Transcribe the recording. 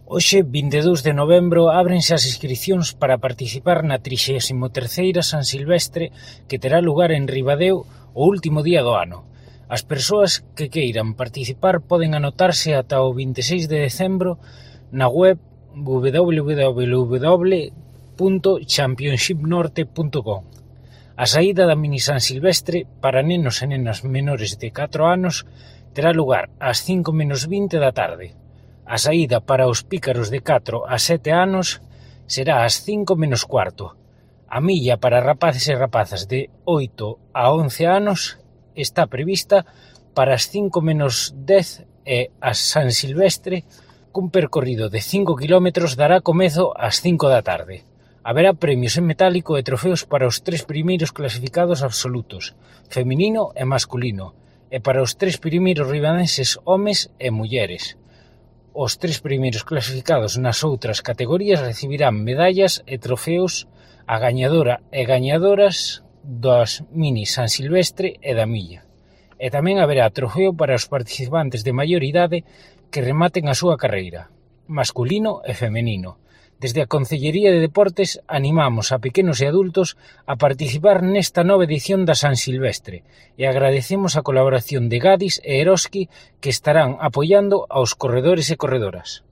Hoxe, 22 de novembro, ábrense as inscricións para participar na 33ª San Silvestre que terá lugar en Ribadeo o último día do ano. As persoas que queiran participar poden anotarse ata o 26 de decembro na web www.championshipnorte.com. A saída da mini San Silvestre para nenos e nenas menores de 4 anos terá lugar ás 5:20 da tarde. A saída para os pícaros de 4 a 7 anos será ás 5:15. A milla para rapaces e rapazas de 8 a 11 anos está prevista para as 5:10 e a San Silvestre, cun percorrido de 5 km, dará comezo ás 5 da tarde. Haberá premios en metálico e trofeos para os 3 primeiros clasificados absolutos, feminino e masculino, e para os 3 primeiros ribadenses homes e mulleres. Os 3 primeiros clasificados nas outras categorías recibirán medallas e trofeos a gañadora e gañadoras das mini San Silvestre e da milla. E tamén haberá trofeo para os participantes de maior idade que rematen a súa carreira, masculino e femenino. Desde a Concellería de Deportes animamos a pequenos e adultos a participar nesta nova edición da San Silvestre e agradecemos a colaboración de Gadis e Eroski, que estarán apoiando aos corredores e corredoras.